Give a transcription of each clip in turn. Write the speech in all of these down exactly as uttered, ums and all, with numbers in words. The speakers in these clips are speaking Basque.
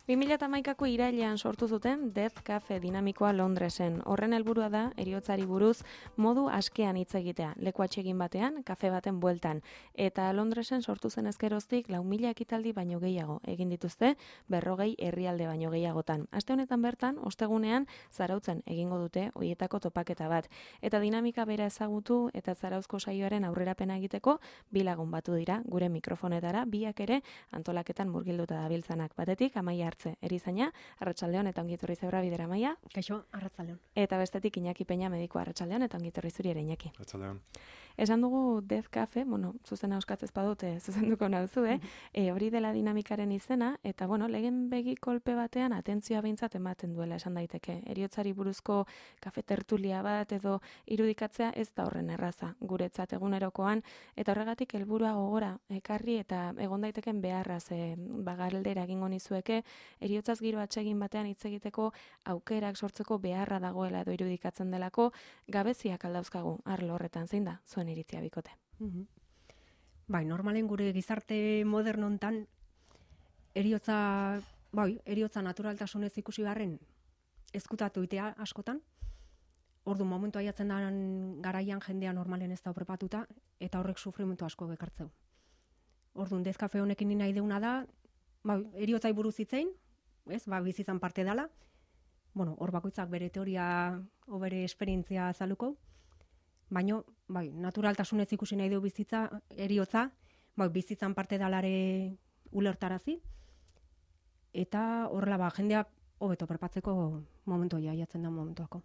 bi mila hamaikako irailean sortu zuten Death Cafe dinamikoa Londresen. Horren helburua da heriotzari buruz modu askean hitz egitea, leku atsegin batean, kafe baten bueltan. Eta Londresen sortu zen ezkeroztik lau mila ekitaldi baino gehiago egin dituzte, berrogei herrialde baino gehiagotan. Aste honetan bertan, ostegunean, Zarautzen egingo dute hoietako topaketa bat. Eta dinamika bera ezagutu eta Zarauzko saioaren aurrerapena egiteko bi lagun batu dira gure mikrofonetara, biak ere antolaketan murgilduta dabiltzanak. Batetik, Amaia Artze, erizaina, Arratsaldeon eta ongi etorri zeura bidera, Amaia. Kaixo, Arratsaldeon. Eta bestetik Iñaki Peña, mediko, Arratsaldeon eta ongi etorri zuri ere, Iñaki. Arratsaldeon. Esan dugu Death Cafe, bueno, zuzena euskatzez badute, zuzenduko nauzu, eh? E, hori dela dinamikaren izena, eta bueno, lehen begi kolpe batean atentzioa behintzat ematen duela esan daiteke. Heriotzari buruzko kafe tertulia bat edo irudikatzea ez da horren erraza, guretzat egunerokoan, eta horregatik helburua gogora ekarri eta egon daiteken beharraz e, bagaldera egingo nizueke, heriotzaz giro atsegin batean hitz egiteko aukerak sortzeko beharra dagoela edo irudikatzen delako, gabeziak aldauzkagu arlo horretan zein da, zuen iritzia bikote. Mm-hmm. Bai, normalen gure gizarte moderno hontan eriotza, bai, eriotza naturaltasunez ikusi garren ezkutatu itea askotan. Ordu momentu aiatzen den garaian jendea normalen ez da prepatuta eta horrek sufrimentu asko ekartzeu. Orduan Death Cafe honekin ni nahi deuna da, bai, eriotzai buruz hitzein, ez, ba bizitzan parte dela. Bueno, hor bakoitzak bere teoria o bere esperientzia azaluko. Baino, bai, naturaltasunez ikusi nahi du bizitza, eriotza, bai, bizitzan parte dalare ulertarazi, eta horrela, ba, jendea hobeto perpatzeko momentu jaiatzen da momentuako.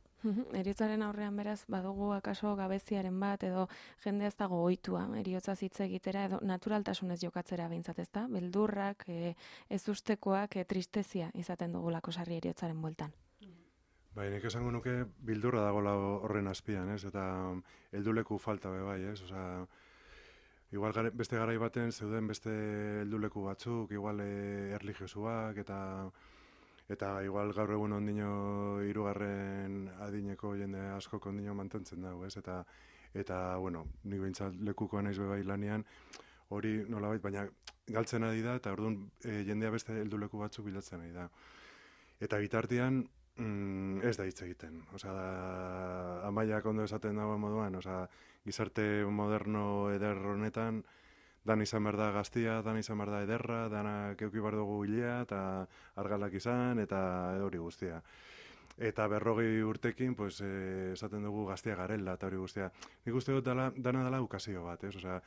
Heriotzaren aurrean beraz, badugu akaso gabeziaren bat, edo jende ez dago ohitua heriotzaz hitz egitera, edo naturaltasunez jokatzera behintzat, ez da? Beldurrak, e, ez ustekoak, e, tristezia izaten dugulako sarri heriotzaren bueltan. Bai, nik esango nuke bildurra dagoela horren azpian, ez? Eta helduleku falta be bai, ez? Osea, igual gare, beste garai baten zeuden beste helduleku batzuk, igual e, erlijiosuak eta eta igual gaur egun ondino hirugarren adineko jende askok ondino mantentzen dago, ez? Eta eta bueno, nik behintzat lekukoa naiz be bai lanean, hori nolabait, baina galtzen ari da eta orduan e, jendea beste helduleku batzuk bilatzen ari da. Eta bitartean Mm, ez da hitz egiten. Osea, da, Amaiak ondo esaten dago moduan, osea, gizarte moderno eder honetan, dan izan behar da gaztia, dan izan behar da ederra, dana keuki behar dugu hilea, eta argalak izan, eta hori guztia. Eta berrogei urtekin, pues, eh, esaten dugu gaztia garela, eta hori guztia. Nik uste dut dala, dana dela ukazio bat, ez? Osea,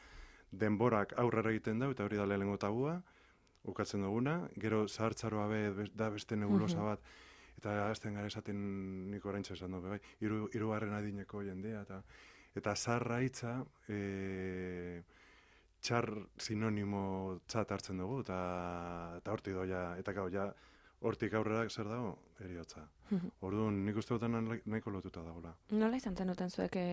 denborak aurrera egiten dau, eta hori da lehenengo tabua, ukatzen duguna, gero zahartzaroa be, da beste nebulosa bat, eta azten gara esaten nik oraintxe esan dugu, bai, hiru hirugarren adineko jendea, eta eta zarra hitza e, txar sinonimo txat hartzen dugu, eta eta hortik doia, eta gau, ja, hortik aurrera zer dago, eriotza. Orduan, nik uste dutan nahiko lotuta dagoela. Nola izan zenuten zuek e,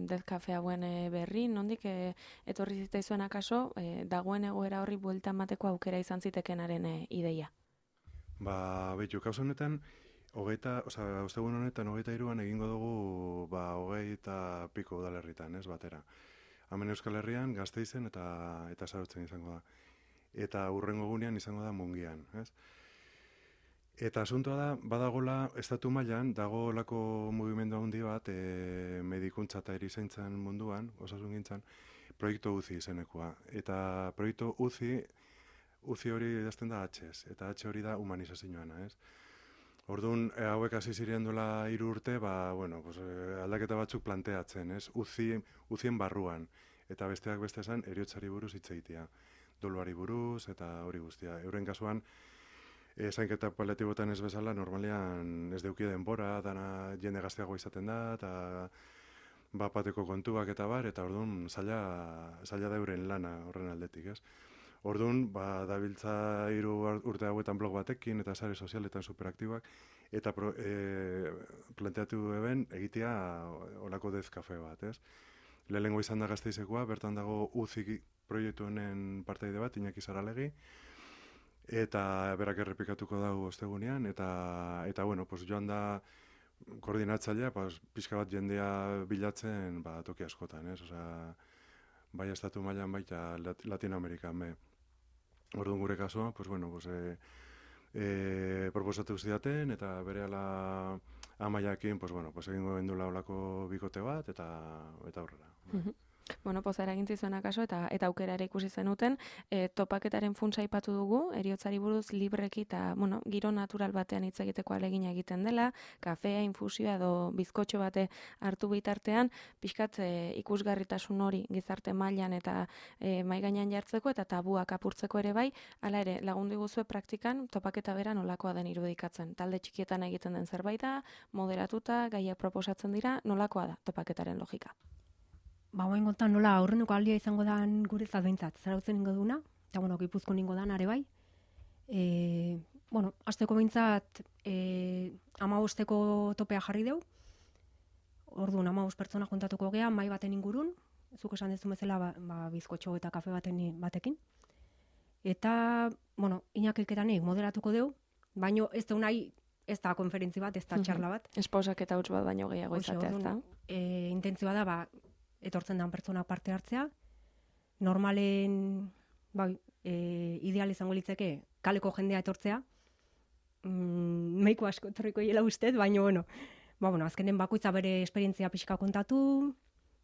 Death Cafe hauen e, berri, nondik e, etorri zitzaizuen akaso, e, dagoen egoera horri bueltan mateko aukera izan zitekenaren e, ideia? Ba, behitu, kauz honetan, hogeita, osea, ostegun honetan hogeita hiruan egingo dugu, ba, hogeita piko udalerritan, ez, batera. Hemen Euskal Herrian, Gasteizen eta eta Zarautzen izango da. Eta hurrengo egunean izango da Mungian, ez? Eta asuntoa da, badagola, estatu mailan dagoelako mugimendu handi bat, e, medikuntza eta erizaintzan munduan, osasungintzan, proiektu U C I izenekoa. Eta proiektu U C I, U C I hori idazten da H ez, eta H hori da humanizazioana, ez? Orduan, e, hauek hasi ziren duela hiru urte, ba, bueno, pues, e, aldaketa batzuk planteatzen, ez? U C I, U C I-en barruan, eta besteak beste esan, heriotzari buruz hitz egitea. Doluari buruz, eta hori guztia. Euren kasuan, e, zainketa paliatibotan ez bezala, normalean ez deuki denbora, dana jende gazteago izaten da, eta bapateko kontuak eta bar, eta orduan zaila, zaila da euren lana horren aldetik, ez? Orduan, ba, dabiltza hiru urte hauetan blog batekin eta sare sozialetan superaktibak, eta pro, e, planteatu eben egitea olako Death Cafe bat, ez? Lehenengo izan da Gasteizekoa, bertan dago U C I proiektu honen parteide bat, Iñaki Saralegi, eta berak errepikatuko dago ostegunean, eta, eta bueno, pues joan da koordinatzailea, pues, pixka bat jendea bilatzen ba, toki askotan, ez? Osea, bai estatu mailan baita Latinoamerikan be. Orduan gure kasua, pues bueno, pues, e, e, proposatu zidaten, eta berehala Amaiakin, pues bueno, pues egingo gendula olako bikote bat, eta eta aurrera. Mhm. Bueno, pozera egin zizuen akaso, eta eta aukera ere ikusi zenuten, e, topaketaren funtsa aipatu dugu, heriotzari buruz libreki eta, bueno, giro natural batean hitz egiteko ahalegina egiten dela, kafea, infusioa edo bizkotxo bate hartu bitartean, pixkat e, ikusgarritasun hori gizarte mailan eta e, mai gainean jartzeko eta tabuak apurtzeko ere bai, hala ere, lagundu iguzue praktikan topaketa bera nolakoa den irudikatzen. Talde txikietan egiten den zerbait da, moderatuta, gaiak proposatzen dira, nolakoa da topaketaren logika? Ba, hoen gontan nola aurreneko aldia izango dan gure zadbeintzat, zarautzen ingo duna, eta bueno, Gipuzkoan ingo dan are bai. E, bueno, azteko behintzat e, amabosteko topea jarri deu, orduan amabos pertsona juntatuko gea, mai baten ingurun, zuk esan dezu bezala ba, ba, bizkotxo eta kafe baten batekin. Eta, bueno, inakilketanik moderatuko deu, baino ez da nahi, ez da konferentzi bat, ez da txarla bat. Esposak eta huts bat baino gehiago izatea, ez da? E, intentzioa da, ba, etortzen dan pertsona parte hartzea. Normalen, bai, e, ideal izango litzeke kaleko jendea etortzea. Mm, meiko asko etorriko hiela ustez, baina, bueno, ba, bueno, azkenen bakoitza bere esperientzia pixka kontatu,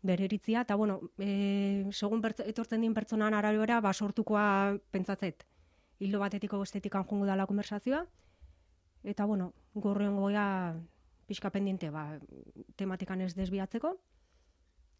bere iritzia, eta, bueno, e, segun etortzen din pertsonan arabera, ba, sortukoa pentsatzet. Hildo batetiko bestetikan jongo dala konversazioa, eta, bueno, gorreon goia pixka pendiente, ba, tematikan ez desbiatzeko,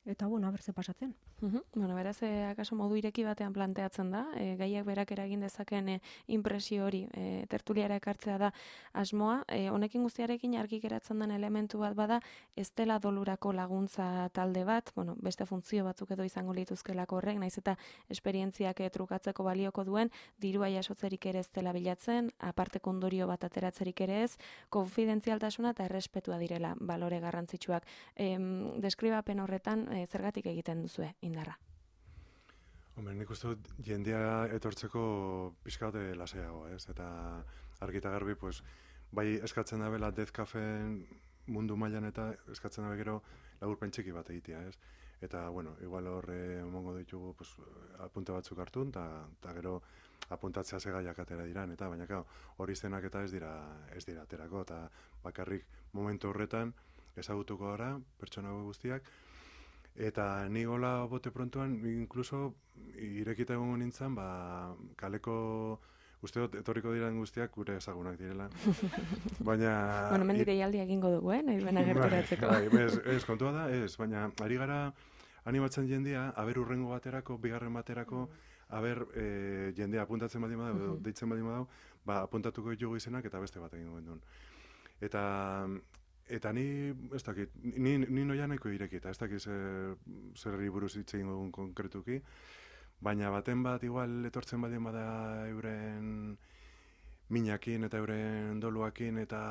eta, bueno, abertze pasatzen. Uhum. Bueno, beraz, e, akaso modu ireki batean planteatzen da, e, gaiak berak eragin dezaken e, impresio hori e, tertuliara ekartzea da asmoa. E, honekin guztiarekin argi geratzen den elementu bat bada, ez dela dolurako laguntza talde bat, bueno, beste funtzio batzuk edo izango lituzkelako horrek, naiz eta esperientziak e, trukatzeko balioko duen, dirua jasotzerik ere ez dela bilatzen, aparteko ondorio bat ateratzerik ere ez, konfidentzialtasuna eta errespetua direla balore garrantzitsuak. E, deskribapen horretan, e, zergatik egiten duzue indarra? Hombre, nik uste dut jendea etortzeko pixkate lasaiago, ez? Eta argita garbi, pues, bai eskatzen da bela Death Cafeen mundu mailan eta eskatzen da gero laburpen txiki bat egitea, ez? Eta, bueno, igual horre emongo ditugu pues, apunte batzuk hartun, eta gero apuntatzea segaiak atera diran, eta baina kao, hori zenak eta ez dira, ez dira aterako, eta bakarrik momentu horretan ezagutuko gara, pertsona guztiak, eta ni gola bote prontuan, incluso irekita egongo nintzen, ba, kaleko, uste dut, etorriko diren guztiak gure ezagunak direla. Baina... Bueno, mendik eialdi egingo dugu, eh? Nahi bena gerturatzeko. Bai, bai, ez, ez, kontua da, ez, baina ari gara animatzen jendea, aber urrengo baterako, bigarren baterako, aber e, jendea apuntatzen badi badau, deitzen badi badau, ba, apuntatuko ditugu izenak eta beste bat egingo gendun. Eta... Eta ni, ez dakit, ni, ni noia nahiko irekita, ez dakit zer, zerri buruz hitz egin dugun konkretuki, baina baten bat igual etortzen badien bada euren minakin eta euren doluakin eta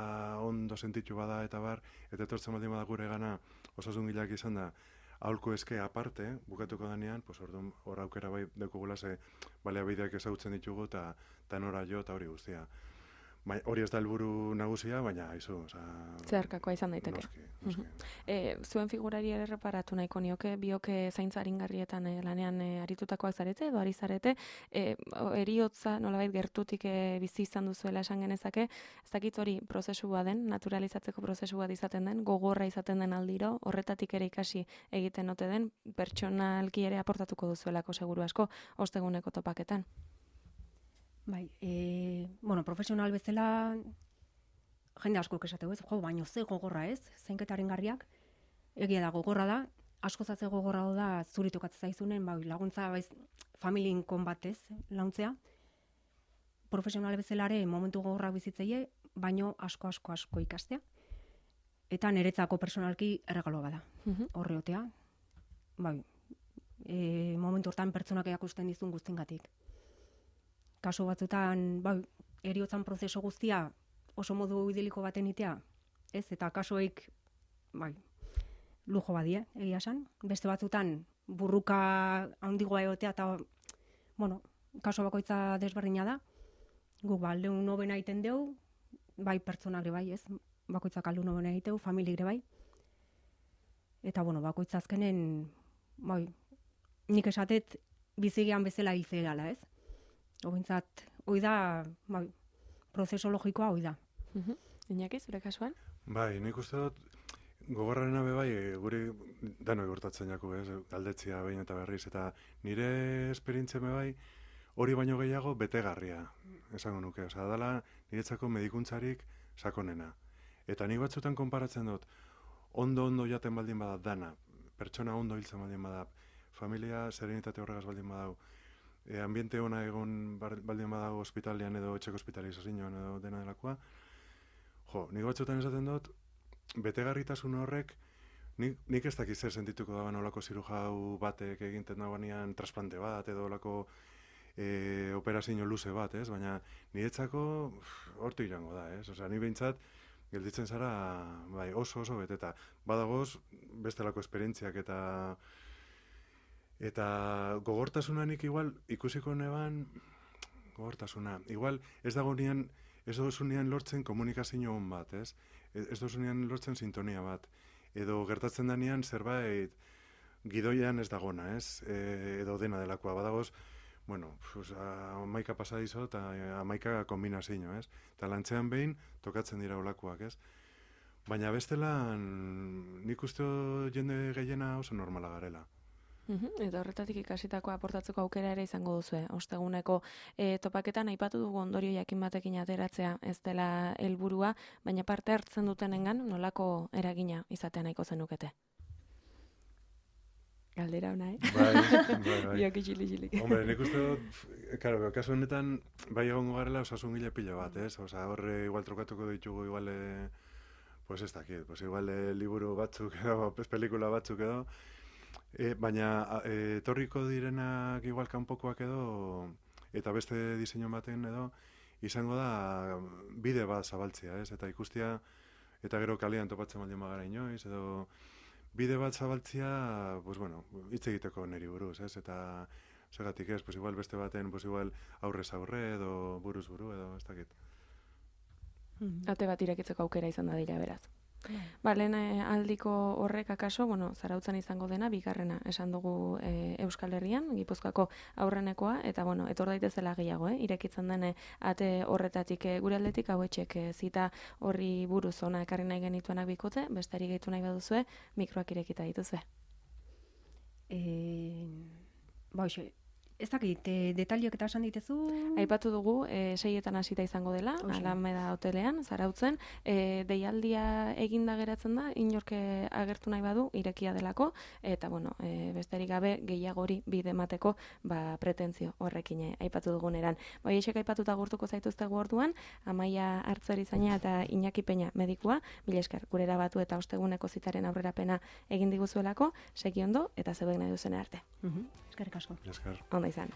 ondo sentitu bada eta bar, eta etortzen badien bada gure gana osasun gilak izan da, aholku eske aparte, bukatuko danean, pues orduan hor aukera bai dekugula ze baliabideak ezagutzen ditugu eta nora jo eta hori guztia. Ba, hori ez da helburu nagusia, baina aizu, oza... Zeharkakoa izan daiteke. Noski, noski. E, zuen figurari ere reparatu nahiko nioke, bioke zaintza aringarrietan e, lanean e, aritutakoak zarete, edo ari zarete, e, eriotza nolabait gertutik e, bizi izan duzuela esan genezake, ez dakit hori prozesua den, naturalizatzeko prozesu bat izaten den, gogorra izaten den aldiro, horretatik ere ikasi egiten ote den, pertsonalki ere aportatuko duzuelako seguru asko, osteguneko topaketan. Bai, e, bueno, profesional bezala jende asko esateko ez, jo, baino ze gogorra ez, zainketaren garriak, egia da gogorra da, asko zatze gogorra da zuri tokatzen zaizunen, bai, laguntza baiz, familien konbatez launtzea, profesional bezalare momentu gogorra bizitzeie, baino asko asko asko ikastea, eta niretzako personalki erregaloa bada, horreotea, bai, e, momentu hortan pertsonak erakusten dizun guztingatik. Kaso batzutan, bai, eriotzan prozesu guztia oso modu idiliko baten itea, ez, eta kasoik, bai, lujo badie, egia esan. Beste batzutan, burruka handigoa egotea, eta, bueno, kaso bakoitza desberdina da. Guk, ba, aldeun nobena egiten deu, bai, pertsonak bai, ez, bakoitzak aldeun nobena egiteu, familik bai. Eta, bueno, bakoitza azkenen, bai, nik esatet bizigean bezala hiltze gala, ez. Obintzat, hoi da, bai, prozeso logikoa hoi da. Mhm. Iñaki, zure kasuan? Bai, nik uste dut, gogorrarena be bai, e, guri danoi gertatzen jaku, ez, galdetzia behin eta berriz, eta nire esperientzia be bai, hori baino gehiago betegarria, esango nuke, osea, dala niretzako medikuntzarik sakonena. Eta nik batzutan konparatzen dut, ondo-ondo jaten baldin bada dana, pertsona ondo hiltzen baldin bada, familia serenitate horregaz baldin badau, e, ambiente ona egon baldin badago ospitalian edo etxeko hospitalizazioan edo dena delakoa, jo, nik batzutan esaten dut, betegarritasun horrek, nik, nik ez dakiz zer sentituko daban olako zirujau batek eginten dagoenean trasplante bat edo olako e, operazio luze bat, ez? Baina niretzako hortu irango da, ez? Osea, ni behintzat gelditzen zara bai, oso oso beteta. Badagoz bestelako esperientziak eta eta gogortasunanik igual ikusiko neban gogortasuna. Igual ez dago nian ez dozunean lortzen komunikazio on bat, ez? Ez dozunean lortzen sintonia bat. Edo gertatzen danean zerbait gidoian ez dagona, ez? E, edo dena delakoa badagoz, bueno, pues, amaika pasadizo eta amaika kombinazio, ez? Eta lantzean behin tokatzen dira olakoak, ez? Baina bestelan nik uste jende gehiena oso normala garela. Uhum, eta horretatik ikasitako aportatzeko aukera ere izango duzue. Osteguneko e, topaketan aipatu dugu ondorio jakin batekin ateratzea ez dela helburua, baina parte hartzen dutenengan nolako eragina izatea nahiko zenukete? Galdera ona, eh? Bai, bai, bai. Biok itxili-txilik. Hombre, nik uste dut, karo, kasu honetan, bai egongo garela osasun gile pila bat, ez? Osa, horre igual trokatuko ditugu, igual, e, pues ez dakit, pues igual e, liburu batzuk edo, pelikula batzuk edo, e, baina e, etorriko direnak igual kanpokoak edo, eta beste diseinu baten edo, izango da bide bat zabaltzea, ez? Eta ikustia, eta gero kalean topatzen baldin bagara inoiz, edo bide bat zabaltzia, pues bueno, hitz egiteko neri buruz, ez? Eta segatik ez, pues igual beste baten, pues igual aurrez aurre edo buruz buru edo ez dakit. Ate bat irekitzeko aukera izan da dira beraz. Ba, lehen aldiko horrek akaso, bueno, Zarautzan izango dena, bigarrena esan dugu e, Euskal Herrian, Gipuzkoako aurrenekoa, eta bueno, etor daitezela gehiago, eh? Irekitzen den ate horretatik e, gure aldetik hauetxek e, zita horri buruz ona ekarri nahi genituenak bikote, bestari gehitu nahi baduzue, mikroak irekita dituzue. E, ba, hoxe, ez dakit, e, detaliok eta esan ditezu? Aipatu dugu, e, seietan hasita izango dela, Oxe. Alameda hotelean, Zarautzen, e, deialdia eginda geratzen da, inorke agertu nahi badu, irekia delako, eta bueno, e, besterik gabe gehiagori bide emateko ba, pretentzio horrekin e, aipatu duguneran. Bai, esek aipatuta gurtuko zaituztegu orduan, Amaia Hartzerizaina eta Iñaki Peña medikua, mila esker, gurera batu eta osteguneko zitaren aurrerapena egin diguzuelako, segi ondo eta zeuden nahi duzen arte. Mhm, eskerrik asko. Esker. Ondo izan.